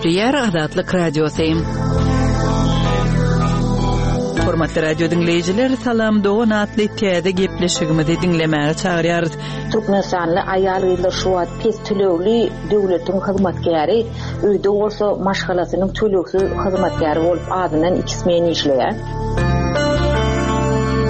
Gepleýär Azatlyk Radiosy. Hormatly radio diňleýjiler, Salam dogan atly täze gepleşigimizi diňlemäge çagyrýarys. Türkmenistanly aýal-gyzlar şu wagt pes tölegli döwletiň hyzmatkäri, öýde bolsa maşgalasynyň tölegsiz hyzmatkäri bolup azyndan iki smen işleýär.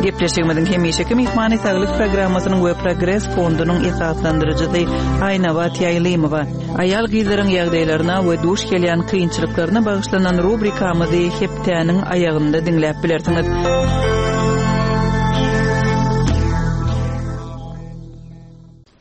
Gepleşigimiziň hemişeki myhmany Saglyk programmasynyň we Progres fondunyň esaslandyryjysy Aýnabat Ýaýlymowa. Aýal-gyzlaryň ýagdaýlaryna we duş gelýän kynçylyklaryna bagyşlanan rubrikamyzy hepdäniň aýagynda diňläp bilersiňiz.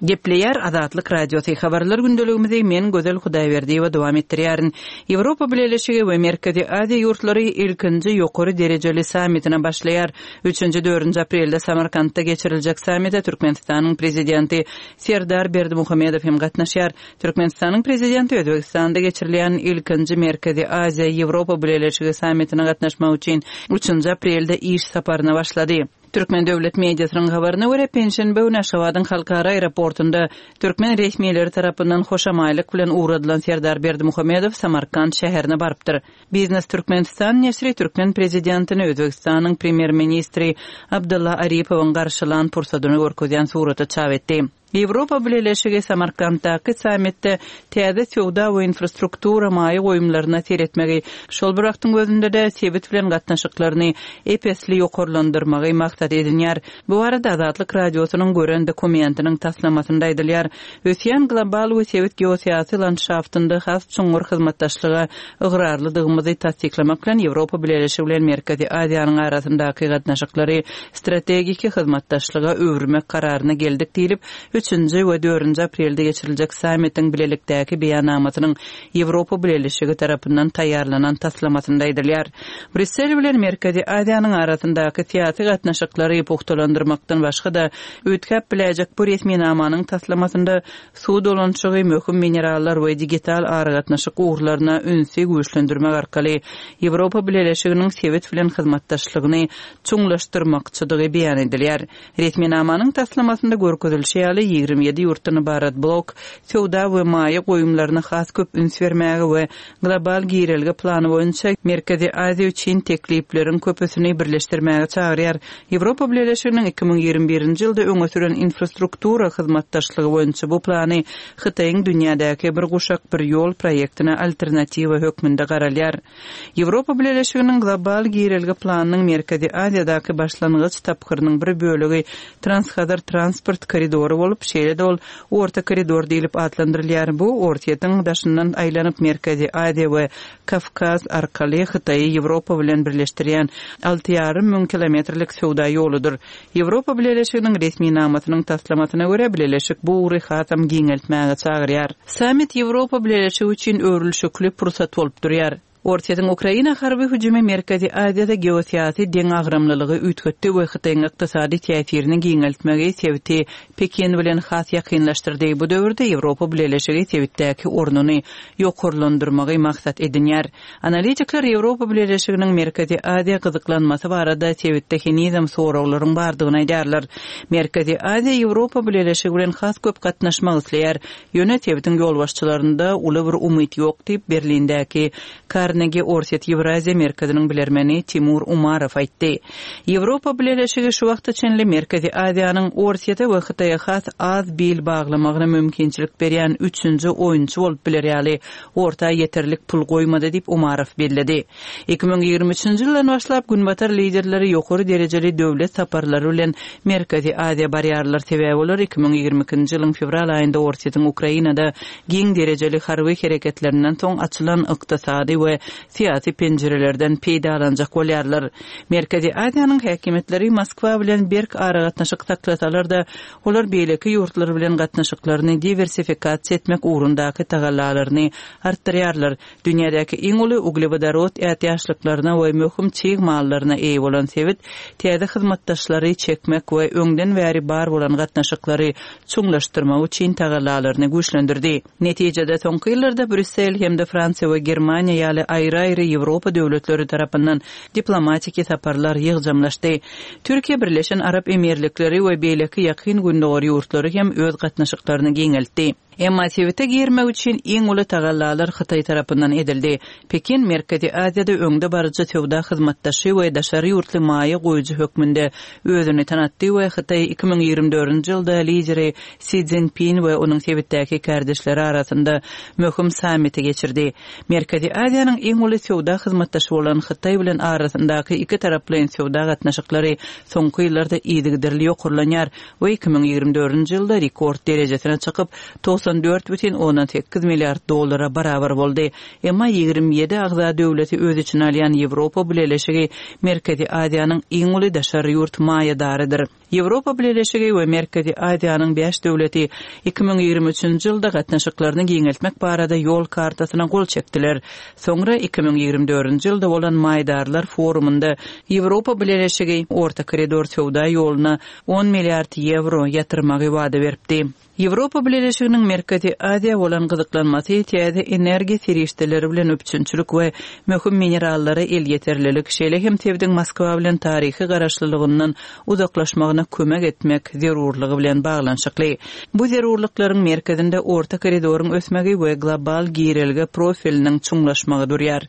Gepleýär Azatlyk Radiosy, Habarlar gündeligimizi men Gözel Hudaýberdiýewa dowam etdirýärin. Ýewropa Bileleşigi we Merkezi Aziýa ýurtlary ilkinji ýokary derejeli sammitine başlaýar. Üçünji, dördünji aprelde Samarkantda geçiriljek sammite Türkmenistanyň Prezidenti Serdar Berdimuhamedow hem gatnaşýar. Türkmenistanyň Prezidenti Özbegistanda geçirilýän ilkinji Merkezi Aziýa, Ýewropa Bileleşigi sammitine gatnaşmak üçin üçünji aprelde iş saparyna başlady. Türkmen döwlet mediasynyň habaryna görä, penşenbe güni Aşgabadyň halkara aeroportunda türkmen resmileri tarapyndan hoşamaýlyk bilen ugradylan Serdar Berdimuhamedow Samarkant şäherine barypdyr. Biznes Türkmenistan neşiri türkmen prezidentini Özbegistanyň premýer-ministri Abdylla Aripowyň garşylan pursadyny görkezýän suraty çap etdi. Ýewropa Bileleşigi Samarkantdaky sammitde täze söwda we infrastruktura maýa goýumlaryna seretmegi, şol bir wagtyň özünde-de sebit bilen gatnaşyklaryny ep-esli ýokarlandyrmagy maksat edinýär. Bu barada Azatlyk Radiosynyň gören dokumentiniň taslamasynda aýdylýar. Ösýän global we sebit geosyýasy landşaftynda has çuňňur hyzmatdaşlyga ygrarlydygymyzy tassyklamak bilen, Ýewropa Bileleşigi bilen Merkezi Aziýanyň arasyndaky gatnaşyklary strategiki hyzmatdaşlyga öwürmek kararyna geldik diýlip, üçünji we dördünji aprelde geçiriljek sammitiň bilelikdäki beýannamasynyň Ýewropa Bileleşigi tarapyndan taýýarlanan taslamasynda aýdylýar. Brýussel bilen Merkezi Aziýanyň arasyndaky syýasy gatnaşyklary pugtalandyrmakdan başga-da, üýtgäp biläýjek bu resminamanyň taslamasynda suw dolanyşygy, möhüm minerallar we digital aragatnaşyk ugurlaryna ünsi güýçlendirmek arkaly Ýewropa Bileleşiginiň sebit bilen hyzmatdaşlygyny çuňlaşdyrmakçydygy beýan edilýär. Resminamanyň taslamasynda görkezilişi ýaly, 27 ýurtdan ybarat blok söwda we maýa goýumlaryna has köp üns bermäge we global girelge plany boýunça Merkezi Aziýa üçin teklipleriň köpüsini birleşdirmäge çagyrýar. Ýewropa Bileleşiginiň 2021-nji ýylda öňe süren infrastruktura hyzmatdaşlygy boýunça bu plany Hytaýyň dünýädäki Bir guşak, bir ýol proýektine alternatiwa hökmünde garalýar. Ýewropa Bileleşiginiň Global girelge planynyň Merkezi Aziýadaky başlangyç tapgyrynyň bir bölegi Transhazar transport koridory bolup, şeýle-de ol Orta koridor diýlip atlandyrylýar. Bu Orsýetiň daşyndan aýlanyp Merkezi Aziýa we Kawkaz arkaly Hytaýy Ýewropa bilen birleşdirýän 6,5 müň kilometrlik söwda ýoludyr. Ýewropa Bileleşiginiň resminamasynyň taslamasyna görä, bileleşik bu ugry hasam giňeltmäge çagyrýar. Sammit Ýewropa Bileleşigi üçin öwrülişikli pursat bolup durýar. Orsýetiň Ukraina harby hüjümi Merkezi Aziýada geosyýasy deňagramlylygy üýtgetdi we Hytaýyň ykdysady täsirini giňeltmegi sebiti Pekin bilen has ýakynlaşdyrdy. Bu döwürde Ýewropa Bileleşigi sebitdäki ornuny ýokarlandyrmagy maksat edinýär. Analitikler Ýewropa Bileleşiginiň Merkezi Aziýa gyzyklanmasy barada sebitde henizem soraglaryň bardygyny aýdýarlar. Merkezi Aziýa Ýewropa Bileleşigi bilen has köp gatnaşmak isleýär. Ýöne sebitiň ýolbaşçylarynda uly bir umyt ýok diýip, Berlindäki Karnegi Orsýet-Ýewraziýa merkeziniň bilermeni Timur Umarow aýtdy. Ýewropa Bileleşigi şu wagta çenli Merkezi Aziýanyň Orsýete we Hytaýa has az bil baglamagyna mümkinçilik berýän üçünji oýunçy bolup biler ýaly orta ýeterlik pul goýmady diýip, Umarow belledi. 2023-nji ýyldan başlap, günbatar liderleri ýokary derejeli döwlet saparlary bilen Merkezi Aziýa barýarlar, sebäbi olar 2022-nji ýylyň fewral aýynda Orsýetiň Ukrainada giň derejeli harby hereketlerinden soň açylan ykdysady we syýasy penjirelerden peýdalanjak bolýarlar. Merkezi Aziýanyň häkimiýetleri Moskwa bilen berk aragatnaşyk saklasalar-da, olar beýleki ýurtlar bilen gatnaşyklaryny diwersifikasiýa etmek ugrundaky tagallalaryny artdyrýarlar. Dünýädäki iň uly uglewodorod ätiýaçlyklaryna we möhüm çig mallaryna eýe bolan sebit täze hyzmatdaşlary çekmek we öňden bäri bar bolan gatnaşyklary çuňlaşdyrmak üçin tagallalaryny güýçlendirdi. Netijede, soňky ýyllarda Brýussel hem-de Fransiýa we Germaniýa ýaly aýry-aýry Ýewropa döwletleri tarapyndan diplomatiki saparlar ýygjamlaşdy. Türkiýe, Birleşen Arap Emirlikleri we beýleki Ýakyn Gündogar ýurtlary hem öz gatnaşyklaryny giňeltdi. Emma sebite girmek üçin iň uly tagallalar Hytaý tarapyndan edildi. Pekin Merkezi Aziýada öňde baryjy söwda hyzmatdaşy we daşary ýurtly maýa goýujy hökmünde özüni tanatdy we Hytaý 2024-nji ýylda lideri Si Szinpin we onuň sebitdäki kärdeşleri arasynda möhüm sammiti geçirdi. Merkezi Aziýanyň iň uly söwda hyzmatdaşy bolan Hytaý bilen arasyndaky ikitaraplaýyn söwda gatnaşyklary soňky ýyllarda yzygiderli ýokarlanýar we 2024-nji ýylda rekord derejesine çykyp, 94,8 milliard dollara barabar boldy. Emma 27 agza döwleti öz içine alýan Ýewropa Bileleşigi Merkezi Aziýanyň iň uly daşary ýurt maýadarydyr. Ýewropa Bileleşigi we Merkezi Aziýanyň bäş döwleti 2023-nji ýylda gatnaşyklaryny giňeltmek barada ýol kartasyna gol çekdiler. Soňra 2024-nji ýylda bolan maýdarlar forumynda Ýewropa Bileleşigi Orta koridor söwda ýoluna on milliard ýewro ýatyrmagy wada beripdi. Ýewropa Bileleşiginiň Merkezi Aziýa bolan gyzyklanmasy täze energiýa serişdeleri bilen üpjünçilik we möhüm minerallara elýeterlilik, şeýle hem sebitiň Moskwa bilen taryhy garaşlylygyndan uzaklaşmagyna kömek etmek zerurlygy bilen baglanyşykly. Bu zerurlyklaryň merkezinde Orta koridoryň ösmegi we global girelge profiliniň çuňlaşmagy durýar.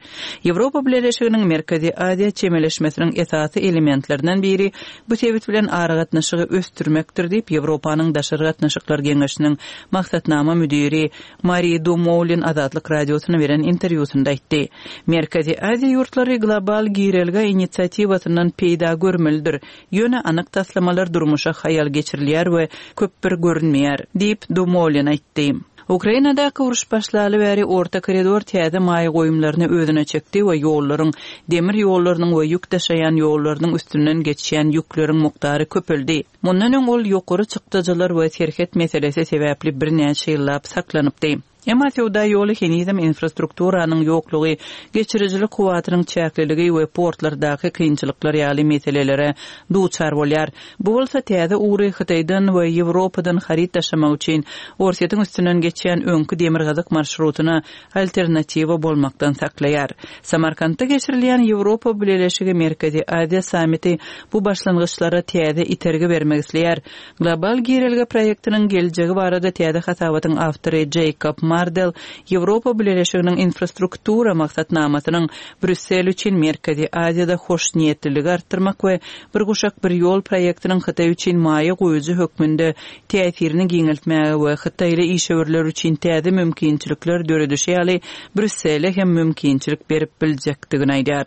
Ýewropa Bileleşiginiň Merkezi Aziýa çemeleşmesiniň esasy elementlerinden biri bu sebit bilen aragatnaşygy ösdürmekdir diýip, Ýewropanyň Daşary gatnaşyklar geňeşiniň maksatnama müdiri Mari Dumoulin Azatlyk Radiosyna beren interwýusynda aýtdy. Merkezi Aziýa ýurtlary global girelge inisiatiwasyndan peýda görmelidir, ýöne anyk taslamalar durmuşa haýal geçirilýär we köp bir görünmeýär, diýip, Dumoulin aýtdy. Ukrainadaky uruş başlaly bäri Orta koridor täze maýa goýumlaryny özüne çekdi we ýollaryň, demir ýollarynyň we ýük daşaýan ýollarynyň üstünden geçýän ýükleriň mukdary köpeldi. Mundan öň ol ýokary çykdajylar we serhet meselesi sebäpli birnäçe ýyllap saklanypdy. Emma söwda ýoly henizem infrastrukturanyň ýoklugy, geçirijilik kuwwatynyň çäkliligi we portlardaky kynçylyklar ýaly meselelere duçar bolýar. Bu bolsa täze ugry Hytaýdan we Ýewropadan haryt daşamak üçin Orsýetiň üstünden geçýän öňki demirgazyk marşrutyna alternatiwa bolmakdan saklaýar. Samarkantda geçirilýän Ýewropa Bileleşigi-Merkezi Aziýa sammiti bu başlangyçlara täze itergi bermek isleýär. Global girelge proýektiniň geljegi barada täze hasabatyň awtory Jeýkob Mardel Ýewropa Bileleşiginiň infrastruktura maksatnamasynyň Brýussel üçin Merkezi Aziýada hoşniýetliligi artdyrmak we Bir guşak, bir ýol proýektiniň Hytaý üçin maýa goýujy hökmünde täsirini giňeltmäge we hytaýly işewürler üçin täze mümkinçilikler döredişi ýaly Brýussele hem mümkinçilik berip biljekdigini aýdýar.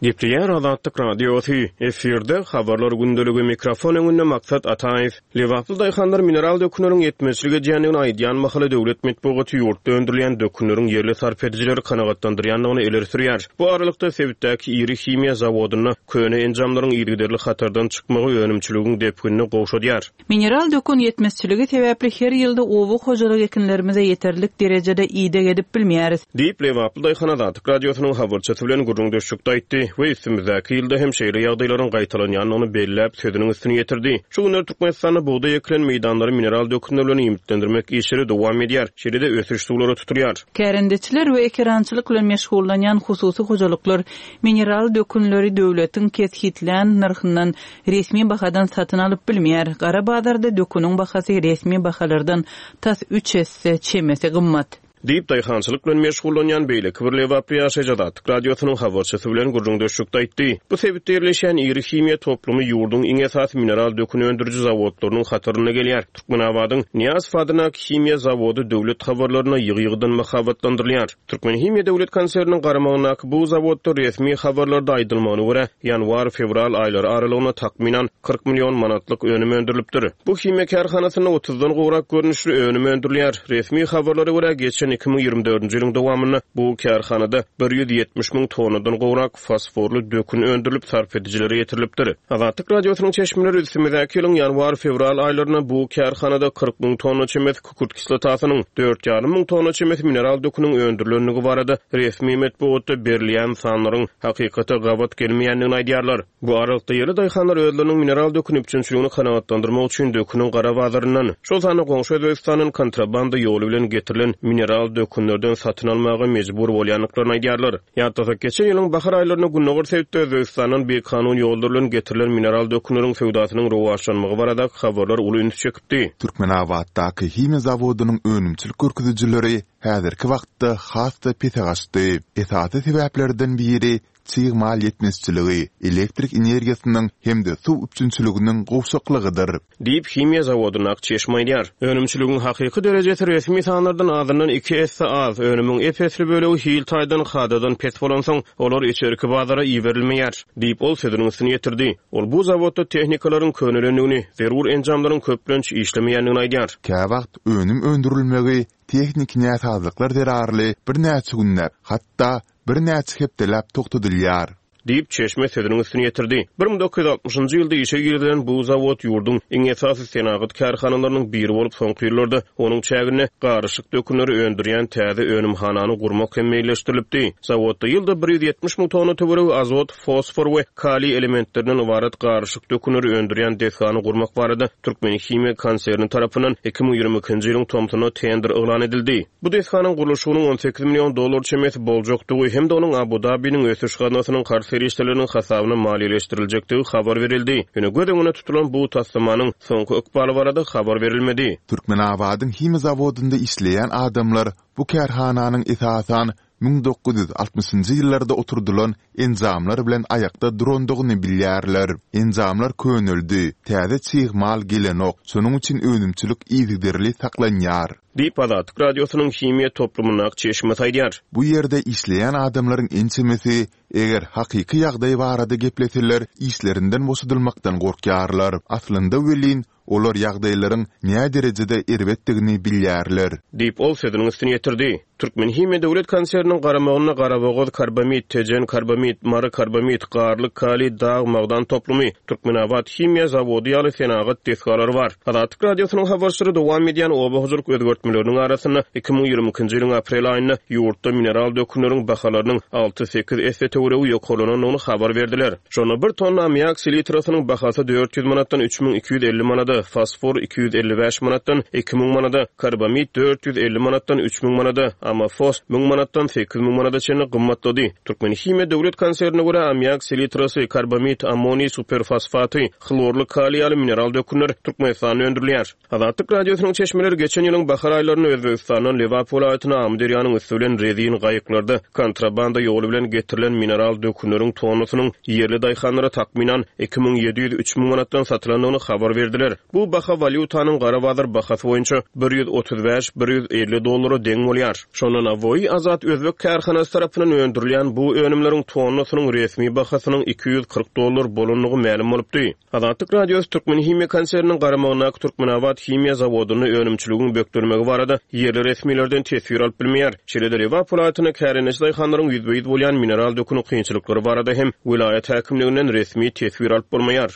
Gepleýär Azatlyk Radiosy, efirde Habarlar gündeligi, mikrofon öňünde Maksat Ataýew. Lebaply daýhanlar mineral dökünleriň ýetmezçilik edýändigini aýdýan mahaly döwlet metbugaty ýurtda öndürilýän dökünleriň ýerli sarp edijileri kanagatlandyrýandygyny ileri sürýär. Bu aralykda, sebitdäki iri himiýa zawodynda köne enjamlaryň yzygiderli hatardan çykmagy önümçiligiň depginini gowşadýar. Mineral dökün ýetmezçiligi sebäpli her ýylda oba hojalyk ekinlerimize ýeterlik derejede ideg edip bilmeýäris. Diýip, lebaply daýhan Azatlyk Radiosynyň habarçysy bilen gürrüňdeşlikde aýtdy we üstümizdäki ýylda hem şeýle ýagdaýlaryň gaýtalanýandygyny belläp, sözüniň üstüni ýetirdi. Şu günler Türkmenistanda bugdaý ekilen meýdanlary mineral dökünler bilen iýmitlendirmek işleri dowam edýär, şeýle-de ösüş suwlary tutulýar. Kärendeçiler we ekerançylyk bilen meşgullanýan hususy hojalyklar mineral dökünleri döwletiň kesgitlän nyrhyndan resmi bahadan satyn alyp bilmeýär. Gara bazarda döküniň bahasy resmi bahalardan tas üç esse çemesi gymmat. Diýip, daýhançylyk bilen meşgullanýan beýleki bir lebaply ýaşaýjy Azatlyk Radiosynyň habarçysy bilen gürrüňdeşlikde aýtdy. Bu sebitde ýerleşýän iri himiýa toplumy ýurduň iň esasy mineral dökün öndüriji zawodlarynyň hatarynda gelýär. Türkmenabadyň Nyýazow adyndaky himiýa zawody döwlet habarlarynda ýygy-ýygydan mahabatlandyrylýar. Türkmenhimiýa döwlet konserniniň garamagyndaky bu zawodda resmi habarlarda aýdylmagyna görä, ýanwar-fewral aýlary aralygynda takmynan 40 million manatlyk önüm öndürilipdir. Bu himiýa kärhanasynda otuzdan gowrak görnüşli önüm öndürilýär. Resmi habarlara görä, geçen 2024-nji ýylyň dowamynda bu kärhanada 170 müň tonnadan gowrak fosforly dökün öndürilip, sarp edijilere ýetirilipdir. Azatlyk Radiosynyň çeşmeleri üstümizdäki ýylyň ýanwar-fewral aýlarynda bu kärhanada 40 müň tonna çemesi kükürt kislotasynyň, dört ýarym müň tonna çemesi mineral döküniň öndürilendigi barada resmi metbugatda berilýän sanlaryň hakykata gabat gelmeýändigini aýdýarlar. Bu aralykda, ýerli daýhanlar özleriniň mineral dökün üpjünçiligini kanagatlandyrmak üçin döküniň gara bazaryndan, şol sanda goňşy Özbegistandan kontrabanda ýoly bilen getirilen mineral. mineral dökünlerden satyn almaga mejbur bolýandyklaryny aýdýarlar. Ýatlasak, geçen ýylyň bahar aýlarynda gündogar sebitde Özbegistandan bikanun ýollar bilen getirilen mineral dökünleriň söwdasynyň rowaçlanmagy baradaky habarlar uly ünsi çekipdi. Türkmenabatdaky himiýa zawodynyň önümçilik görkezijileri häzirki wagtda has-da pese gaçdy. Esasy sebäplerden biri çig mal ýetmezçiligi, elektrik energiýasynyň hem-de suw üpjünçiliginiň gowşaklygydyr. Diýip, himiýa zawodyndaky çeşme aýdýar. Önümçiligiň hakyky derejesi resmi sanlardan azyndan iki esse az, önümiň ep-esli bölegi hil taýdan kadadan pes bolansoň, olar içerki bazara iberilmeýär, diýip, ol sözüniň üstüni ýetirdi. Ol bu zawodda tehnikalaryň könelendigini, zerur enjamlaryň köplenç işlemeýändigini aýdýar. Käwagt önüm öndürilmegi tehniki näsazlyklar zerarly birnäçe günläp, hatda birnäçe hepdeläp togtadylýar. Diýip, çeşme sözüniň üstüni ýetirdi. 1960-njy ýylda işe girizilen bu zawod ýurduň iň esasy senagat kärhanalarynyň biri bolup, soňky ýyllarda onuň çäginde garyşyk dökünleri öndürýän täze önümhanany gurmak hem meýilleşdirilipdi. Zawodda ýylda 170 müň tonna töweregi azot, fosfor we kaliý elementlerinden ybarat garyşyk dökünleri öndürýän desgany gurmak barada Türkmenhimiýa konserni tarapyndan 2022-nji ýylyň tomsunda tender yglan edildi. Bu desganyň gurluşygynyň 18 million dollar çemesi boljakdygy hem-de onuň Abu-Dabiniň ösüş gaznasynyň karz serişdeleriniň hasabyna maliýeleşdiriljekdigi habar berildi. Ýöne göz öňünde tutulan bu taslamanyň soňky ykbaly barada habar berilmedi. Türkmenabadyň himiýa zawodynda işleýän adamlar bu kärhananyň esasan 1960-njy ýyllarda oturdylan enjamlar bilen aýakda durandygyny bilýärler. Enjamlar köneldi, täze çig mal gelenok, şonuň üçin önümçilik yzygiderli saklanýar. Diýip, Azatlyk Radiosynyň himiýa toplumyndaky çeşmesi aýdýar. Bu ýerde işleýän adamlaryň ençemesi, eger hakyky ýagdaý barada gepleseler, işlerinden boşadylmakdan gorkýarlar. Aslynda welin, Olar ýagdaýlaryň näderejede erbetdigini bilýärler. Diýip, ol sözüniň üstüni ýetirdi. Türkmenhimiýa döwlet konserniniň garamagynda Garabogaz karbamid, Tejen karbamid, Mary karbamid, Garlyk kaliý dag magdan toplumy, Türkmenabat himiýa zawody ýaly senagat desgalary bar. Azatlyk Radiosynyň habarçylary dowam edýän oba hojalyk özgertmeleriniň arasynda 2022-nji ýylyň aprel aýynda ýurtda mineral dökünleriň bahalarynyň alty-sekiz esse töweregi ýokarlanandygyny habar berdiler. Şonda bir tonna ammiak selitrasynyň bahasy 400 manatdan 3250 manada, fosfor 255 manatdan 2000 manada, karbamid 450 manatdan 3000 manada, amofos 1000 manatdan 8000 manada çenli gymmatlady. Türkmenhimiýa döwlet konsernine görä, ammiak selitrasy, karbamid, ammoniý superfosfaty, hlorly kaliý ýaly mineral dökünler Türkmenistanda öndürilýär. Azatlyk Radiosynyň çeşmeleri geçen ýylyň bahar aýlarynda Özbegistandan Lebap welaýatyna Amyderýanyň üsti bilen rezin gaýyklarda kontrabanda ýoly bilen getirilen mineral dökünleriň tonnasynyň ýerli daýhanlara takmynan 2700-3000 manatdan satylandygyny habar berdiler. Bu baha walýutanyň gara bazar bahasy boýunça 135-150 dollara deň bolýar. Şonda Navoiy Azat özbek kärhanasy tarapyndan öndürilýän bu önümleriň tonnasynyň resmi bahasynyň 240 dollar bolandygy mälim bolupdy. Azatlyk Radiosy Türkmenhimiýa konserniniň garamagyndaky Türkmenabat himiýa zawodynda önümçiligiň bökdelmegi barada ýerli resmilerden teswir alyp bilmeýär. Şeýle-de Lebap welaýatynda kärendeçi daýhanlaryň ýüzbe-ýüz bolýan mineral döküni kynçylyklary barada hem welaýat häkimliginden resmi teswir alyp bolmaýar.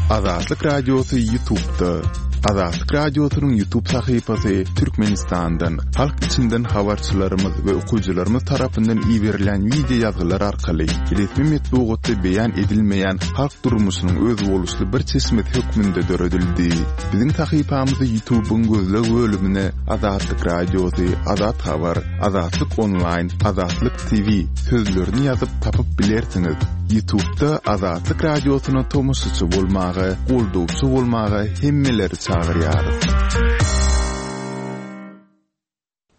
Azatlyk Radiosy YouTube'da. Azatlyk Radiosynyň YouTube sahypasy Türkmenistandan, halk içinden habarçylarymyz we okyjylarymyz tarapyndan iberilen wideo ýazgylar arkaly resmi metbugatda beýan edilmeýän halk durmuşynyň özboluşly bir çeşmesi hökmünde döredildi. Biziň sahypamyzy YouTube'yň gözleg bölümine Azatlyk Radiosy, Azat Habar, Azatlyk Onlaýn, Azatlyk TV sözlerini ýazyp tapyp bilersiňiz. Ýutubda Azatlyk Radiosyna tomaşaçy bolmaga, goldawçy bolmaga hemmeleri çagyrýarys.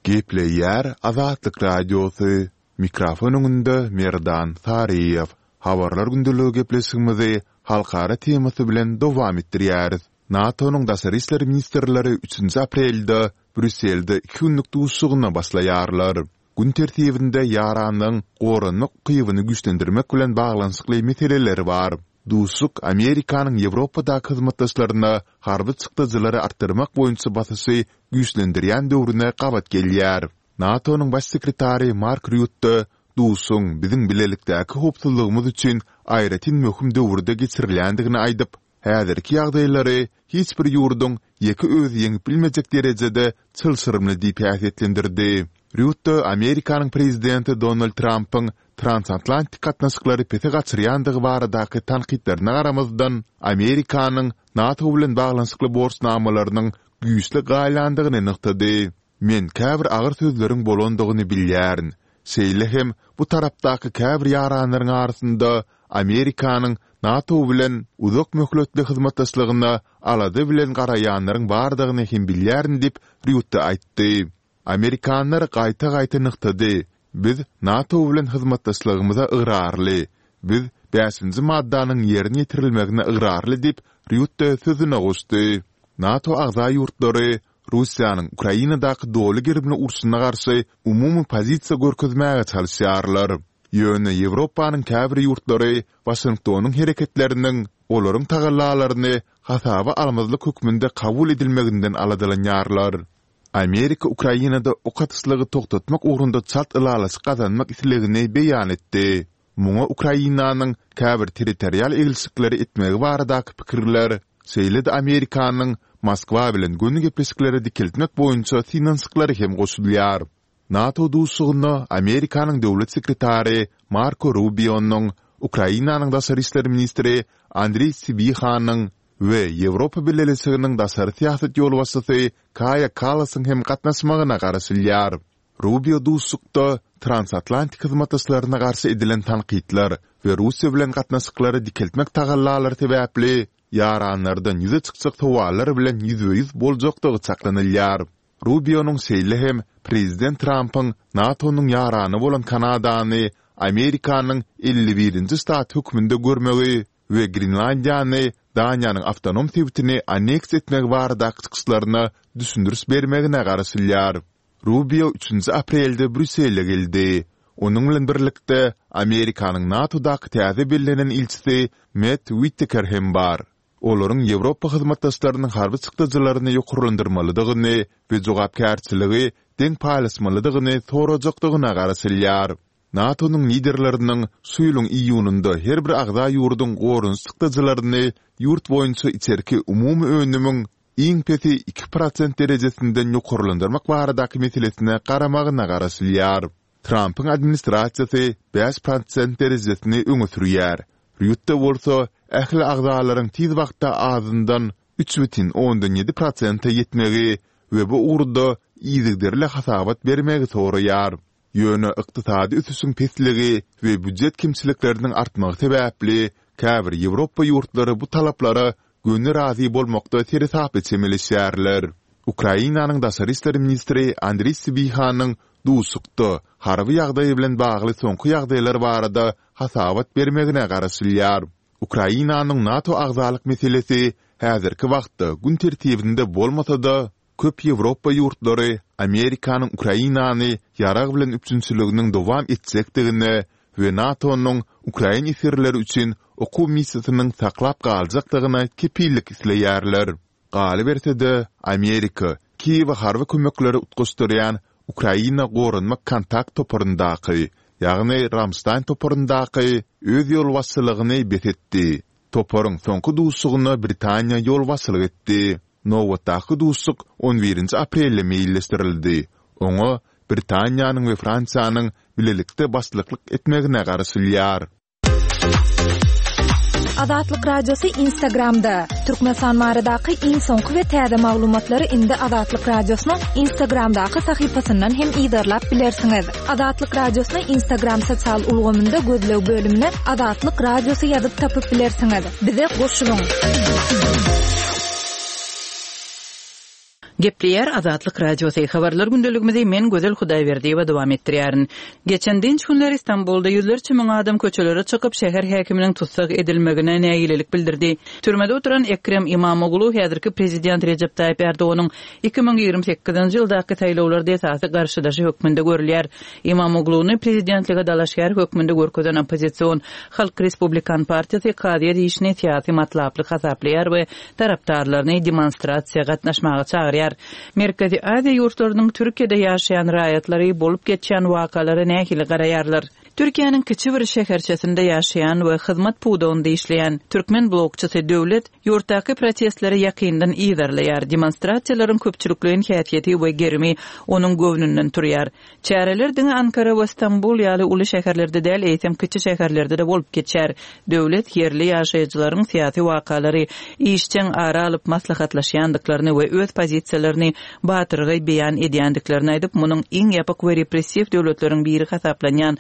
Gepleýär Azatlyk Radiosy, mikrofon öňünde Merdan Saryýew. Habarlar gündeligi gepleşigimizi halkara temasy bilen dowam etdirýäris. NATO-nyň daşary işler ministrleri üçünji aprelde Brýusselde iki günlük duşuşygyna başlaýarlar. Gün tertibinde ýaranlygyň goranmak ukybyny güýçlendirmek bilen baglanyşykly meseleler bar. Duşuşyk Amerikanyň Ýewropadaky hyzmatdaşlaryna harby çykdajylary artdyrmak boýunça basyşy güýçlendirýän döwrüne gabat gelýär. NATO-nyň Baş sekretary Mark Rýutte duşuşygyň biziň bilelikdäki howpsuzlygymyz üçin aýratyn möhüm döwürde geçirilýändigini aýdyp, häzirki ýagdaýlary hiç bir ýurduň ýeke özi ýeňip bilmejek derejede çylşyrymly diýip häsiýetlendirdi. Rýutte Amerikanyň prezidenti Donald Trampyň. transatlantik gatnaşyklary pese gaçyrýandygy baradaky tankytlaryna garamazdan, Amerikanyň NATO bilen baglanyşykly borçnamalarynyň güýçli galýandygyny nygtady. Men käbir agyr sözleriň bolandygyny bilýärin. Şeýle hem bu tarapdaky käbir ýaranlaryň arasynda Amerikanyň NATO bilen uzak möhletli hyzmatdaşlygyna alada bilen garaýanlaryň bardygyny hem bilýärin diýip, Rýutte aýtdy. Amerikanlar gaýta-gaýta nygtady, biz NATO bilen hyzmatdaşlygymyza ygrarly, biz bäşinji maddanyň ýerine ýetirilmegine ygrarly diýip, Rýutte sözüne goşdy. NATO agza ýurtlary Russiýanyň Ukrainadaky doly gerimli urşuna garşy umumy pozisiýa görkezmäge çalyşýarlar. Ýöne Ýewropanyň käbir ýurtlary Waşingtonyň hereketleriniň olaryň tagallalaryny hasaba almazlyk hökmünde kabul edilmeginden aladalanýarlar. Amerika Ukrainada ok atyşlygy togtatmak ugrunda çalt ylalaşyk gazanmak islegini beýan etdi. Muňa Ukrainanyň käbir territorial eglişikleri etmegi baradaky pikirler, şeýle-de Amerikanyň Moskwa bilen göni gepleşikleri dikeltmek boýunça synanyşyklary hem goşulýar. NATO duşuşygyna Amerikanyň Döwlet sekretary Marko Rubionyň, Ukrainanyň daşary işler ministri Andriý Sibihanyň we Ýewropa Bileleşiginiň daşary syýasat ýolbaşçysy Kaýa Kallasyň hem gatnaşmagyna garaşylýar. Rubio duşuşykda transatlantik hyzmatdaşlaryna garşy edilen tankytlar we Russiýa bilen gatnaşyklary dikeltmek tagallalary sebäpli ýaranlardan ýüze çykjak sowallar bilen ýüzbe-ýüz boljakdygy çaklanylýar. Rubionyň şeýle hem prezident Trampyň NATO-nyň ýarany bolan Kanadany Amerikanyň 51-nji ştaty hökmünde görmegi we Grenlandiýany Daniýanyň awtonom sebitini anneksiýa etmegi baradaky çykyşlaryna düşündiriş bermegine garaşylýar. Rubio üçünji aprelde Brýussele geldi. Onuň bilen birlikde Amerikanyň NATO-daky täze bellenen ilçisi Mett Uitteker hem bar. Olaryň Ýewropa hyzmatdaşlarynyň harby çykdajylaryny ýokarlandyrmalydygyny we jogapkärçiligi deň paýlaşmalydygyny sorajakdygyna garaşylýar. NATO-nyň liderleriniň şu ýylyň iýunynda her bir agza ýurduň goranyş çykdajylaryny ýurt boýunça içerki umumy önümiň iň pesi 2% derejesinden ýokarlandyrmak baradaky meselesine garamagyna garaşylýar. Trampyň administrasiýasy 5% derejesini öňe sürýär. Rýutte bolsa ähli agzalaryň tiz wagtda azyndan 3,7 prosente ýetmegi we bu ugurda yzygiderli hasabat bermegi soraýar. Ýöne ykdysady ösüşiň pesligi we býujet kemçilikleriniň artmagy sebäpli käbir Ýewropa ýurtlary bu talaplara göni razy bolmakda seresaply çemeleşýärler. Ukrainanyň daşary işler ministri Andriý Sibihanyň duşuşykda harby ýagdaý bilen bagly soňky ýagdaýlar barada hasabat bermegine garaşylýar. Ukrainanyň NATO agzalyk meselesi häzirki wagtda gün tertibinde bolmasa-da, Köp Ýewropa ýurtlary Amerikanyň Ukrainany ýarag bilen üpjünçiliginiň dowam etjekdigine we NATO-nyň ukrain esgerleri üçin okuw missiýasynyň saklap galjakdygyna kepillik isleýärler. Galyberse-de, Amerika Kiýewe harby kömekleri utgaşdyrýan Ukraina goranmak kontakt toparyndaky, ýagny Ramştaýn toparyndaky öz ýolbaşçylygyny bes etdi. Toparyň soňky duşuşygyna Britaniýa ýolbaşçylyk etdi. Nobatdaky duşuşyk on birinji aprelde meýilleşdirildi. Oňa Britaniýanyň we Fransiýanyň bilelikde başlyklyk etmegine garaşylýar. Azatlyk Radiosy Instagramda, Türkmenistan baradaky iň soňky we täze maglumatlary indi Azatlyk Radiosynyň Instagramdaky sahypasyndan hem yzarlap bilersiňiz. Azatlyk Radiosyny Instagram sosial ulgamynda gözleg bölümine Azatlyk Radiosy ýazyp tapyp bilersiňiz. Bize goşulyň! Gepleýär Azatlyk Radiosy. Habarlar gündeligimizi men Gözel Hudaýberdiýewa dowam etdirýärin. Geçen dynç günleri Stambulda ýüzlerçe müň adam köçelere çykyp, şäher häkiminiň tussag edilmegine nägilelik bildirdi. Türmede oturan Ekrem Imamoglu häzirki prezident Rejep Taýyp Erdoganyň 2028-nji ýyldaky saýlawlarda esasy garşydaşy hökmünde görülýär. Imamogluny prezidentlige dalaşgär hökmünde görkezen oppozision Halk Respublikan partiýasy kazyýet işini syýasy matlaply hasaplaýar we tarapdarlaryny demonstrasiýa gatnaşmaga çagyrýar. Merkezi Aziýa ýurtlarynyň Türkiýede ýaşaýan raýatlary bolup geçýän wakalara nähili garaýarlar? Türkiýäniň kiçi bir şäherçesinde ýaşaýan we hyzmat pudagynda işleýän türkmen blogçysy Döwlet ýurtdaky protestleri ýakyndan yzarlaýar, demonstrasiýalaryň köpçülikleýin häsiýeti we gerimi onuň göwnünden turýar. Çäreler diňe Ankara we Stambul ýaly uly şäherlerde däl, eýsem kiçi şäherlerde-de bolup geçýär. Döwlet ýerli ýaşaýjylaryň syýasy wakalary işjeň ara alyp maslahatlaşýandyklaryny we öz pozisiýalaryny batyrgaý beýan edýändiklerini aýdyp, munuň iň ýapyk we repressiw döwletleriň biri hasaplanýan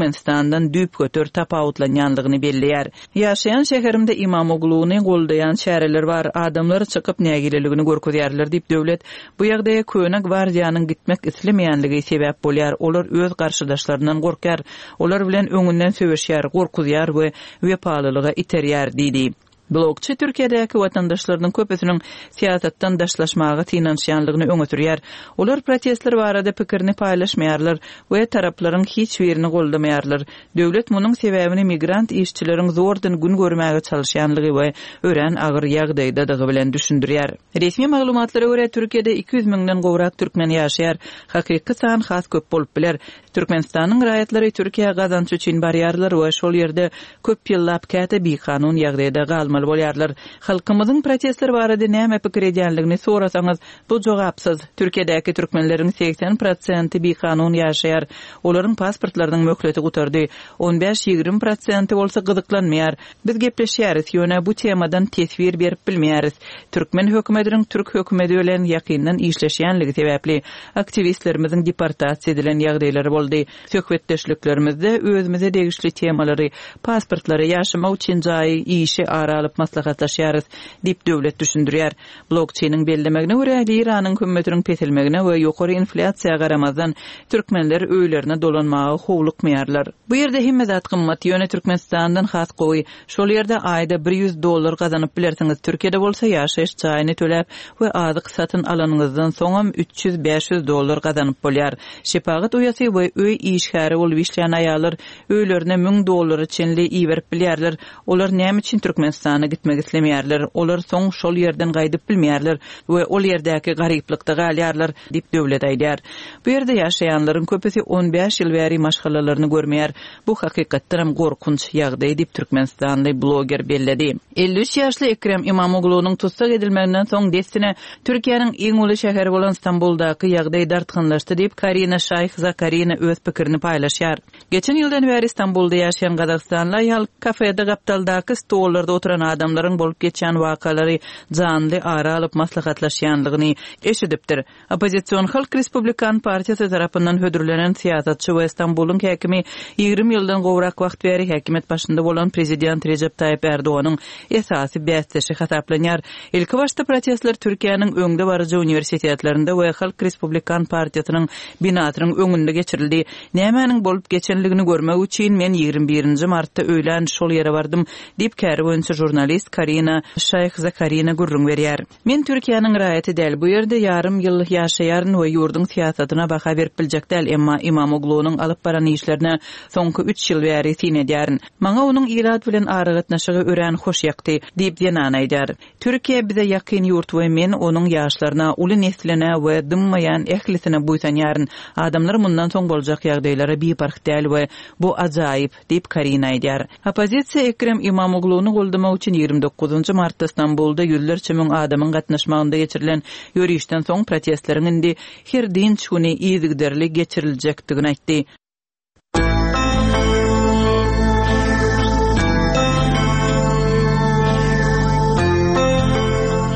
Türkmenistandan düýpgöter tapawutlanýandygyny belleýär. Ýaşaýan şäherimde Imamogluny goldaýan çäreler bar, adamlar çykyp nägileligini görkezýärler diýip, Döwlet bu ýagdaýa köne gwardiýanyň gitmek islemeýänligi sebäp bolýar, olar öz garşydaşlaryndan gorkýar, olar bilen öňünden söweşýär, gorkuzýar we wepalylyga iterýär diýdi. Blogçy Türkiýedäki watandaşlarynyň köpüsiniň syýasatdan daşlaşmaga synanyşýanlygyny öňe sürýär. Olar protestler barada pikirini paýlaşmaýarlar we taraplaryň hiç birini goldamaýarlar. Döwlet munuň sebäbini migrant işçileriň zordan gün görmäge çalyşýanlygy we örän agyr ýagdaýdadygy bilen düşündirýär. Resmi maglumatlara görä, Türkiýede 200 müňden gowrak türkmen ýaşaýar. Hakyky san has köp bolup biler. Türkmenistanyň raýatlary Türkiýä gazanç üçin barýarlar we şol ýerde köp ýyllap käte bikanun ýagdaýda galmaly bolýarlar. Halkymyzyň protestler barada näme pikir edýänligini sorasaňyz, bu jogapsyz. Türkiýedäki türkmenleriň 80 prosenti bikanun ýaşaýar. Olaryň pasportlarynyň möhleti gutardy. On bäş-ýigrimi prosenti bolsa gyzyklanmaýar. Biz gepleşýäris, ýöne bu temadan teswir berip bilmeýäris. Türkmen hökümediniň türk hökümedi bilen ýakyndan işleşýänligi sebäpli, aktiwistlerimiziň deportasiýa edilen ýagdaýlary boldy. Söhbetdeşliklerimizde özümize degişli temalary, pasportlary, ýaşamak üçin jaýy, işi ara alyp maslahatlaşýarys, diýip Döwlet düşündirýär. Blogçynyň bellemegine görä, liranyň hümmetiniň peselmegine we ýokary inflýasiýa garamazdan, türkmenler öýlerine dolanmaga howlukmaýarlar. Bu ýerde hemme zat gymmat, ýöne Türkmenistandan has gowy. Şol ýerde aýda 100 dollar gazanyp bilersiňiz, Türkiýede bolsa ýaşaýyş jaýyny töläp we azyk satyn alanyňyzdan soňam 300-500 dollar gazanyp bolýar. Şepagat uýasy we öý işgäri bolup işleýän aýallar öýlerine 1000 dollara çenli iberip bilýärler. Olar näme üçin Türkmenistana gitmek islemeýärler? Olar soň şol ýerden gaýdyp bilmeýärler we ol ýerdäki garyplykda galýarlar, diýip Döwlet aýdýar. Bu ýerde ýaşaýanlaryň köpüsi on bäş ýyl bäri maşgalalaryny görmeýär. Bu hakykatdanam gorkunç ýagdaý diýip, türkmenistanly bloger belledi. 53 ýaşly Ekrem Imamoglunyň tussag edilmeginden soň dessine Türkiýäniň iň uly şäheri bolan Stambuldaky ýagdaý dartgynlaşdy diýip, Karina Şaýh Zakarina öz pikirini paýlaşýar. Geçen ýyldan bäri Stambulda ýaşaýan gazagystanly aýal kafede gapdaldaky stollarda oturan adamlaryň bolup geçýän wakalary janly ara alyp maslahatlaşýanlygyny eşidipdir. Oppozision Halk Respublikan partiýasy tarapyndan hödürlenen syýasatçy we Stambulyň häkimi 20 ýyldan gowrak wagt bäri häkimiýet başynda bolan prezident Rejep Taýyp Ärdoganyň esasy bäsdeşi hasaplanýar. Ilkibaşda protestler Türkiýäniň öňdebaryjy uniwersitetlerinde we Halk Respublikan partiýasynyň binasynyň öňünde geçirildi. Nämäniň bolup geçenligini görmek üçin men 21-nji martda öýlän şol ýere bardym, diýip, käri boýunça žurnalist Karina Şaýh-Zakarina gürrüň berýär. Men Türkiýäniň raýaty däl, bu ýerde ýarym ýyl ýaşaýaryn we ýurduň syýasatyna baha berip biljek däl, emma Imamoglunyň alyp baran işlerine soňky üç ýyl bäri syn edýärin. Maňa onuň ilat bilen aragatnaşygy örän hoş ýakdy, diýip, zenan aýdýar. Türkiýe bize ýakyn ýurt we men onuň ýaşlaryna, uly nesline we dymmaýan ählisine buýsanýaryn. Adamlar mundan soň boljak ýagdaýlara biparh däl we bu ajaýyp, diýip, Karina aýdýar. Oppozisiýa Ekrem Imamogluny goldamak üçin 29 martda Stambulda ýüzlerçe müň adamyň gatnaşmagynda geçirilen ýörişden soň protestleriň indi her dynç güni yzygiderli geçiriljekdigini aýtdy.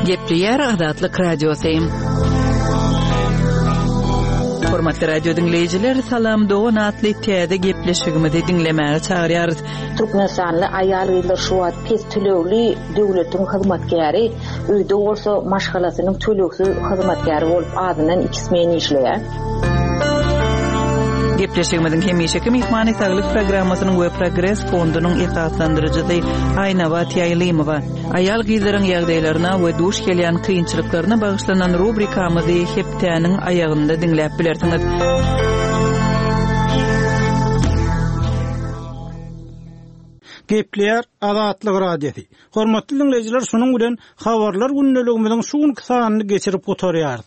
Gepleýär Azatlyk Radiosy. Hormatly radio diňleýjiler, Salam dogan atly täze gepleşigimizi diňlemäge çagyrýarys. Türkmenistanly aýal-gyzlar şu wagt pes tölegli döwletiň hyzmatkäri, öýde bolsa maşgalasynyň tölegsiz hyzmatkäri bolup azyndan iki smen işleýär. Gepleşigimiziň hemişeki myhmany Saglyk programmasynyň we Progres fondunyň esaslandyryjysy Aýnabat Ýaýlymowa. Aýal-gyzlaryň ýagdaýlaryna we duş gelýän kynçylyklaryna bagyşlanan rubrikamyzy hepdäniň aýagynda diňläp bilersiňiz. Gepleýär Azatlyk Radiosy. Hormatly diňleýjiler, şunuň bilen Habarlar gündeligimiziň şu günki sanyny geçirip gutarýarys.